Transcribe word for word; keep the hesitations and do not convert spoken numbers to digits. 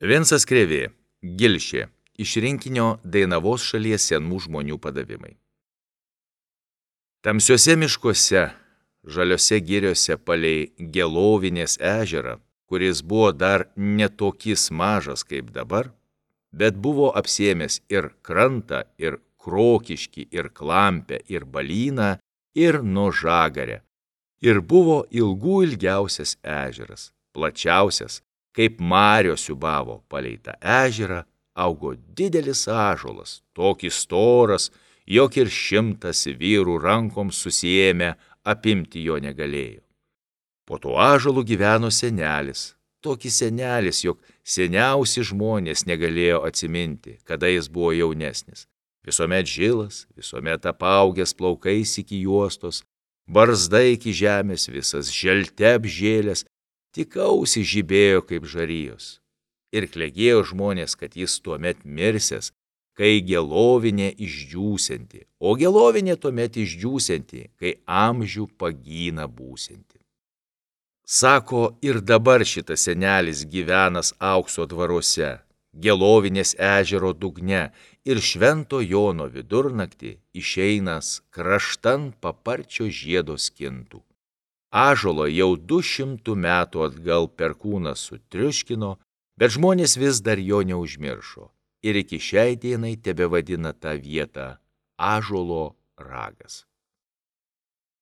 Vincas Krėvė, Gilšė, iš rinkinio Dainavos šalies senų žmonių padavimai. Tamsiuose miškuose, žaliose giriose palei Gelovinės ežerą, kuris buvo dar netokis mažas kaip dabar, bet buvo apsėmęs ir krantą, ir Krokiškį, ir Klampę, ir Balyną, ir Nužagarę. Ir buvo ilgų ilgiausias ežeras, plačiausias, kaip marios siūbavo palei tą ežerą, augo didelis ąžuolas, tokį storas, jog ir šimtas vyrų rankom susiėmę apimti jo negalėjo. Po tuo ąžuolu gyveno senelis, tokį senelis, jog seniausi žmonės negalėjo atsiminti, kada jis buvo jaunesnis. Visuomet žilas, visuomet apaugęs plaukais iki juostos, barzda iki žemės, visas želte apžėlęs, tik ausys žibėjo kaip žarijos. Ir klegėjo žmonės, kad jis tuomet mirsęs, kai Gelovinė išdžiūsianti, o Gelovinė tuomet išdžiūsianti, kai amžių pagyna būsianti. Sako, ir dabar šitas senelis gyvenas Aukso dvaruose, Gelovinės ežero dugne, ir Švento Jono vidurnaktį išeinas kraštan paparčio žiedo skintų. Ąžuolo jau du šimtų metų atgal perkūnas sutriuškino, bet žmonės vis dar jo neužmiršo ir iki šiai dienai tebevadina tą vietą Ąžuolo ragas.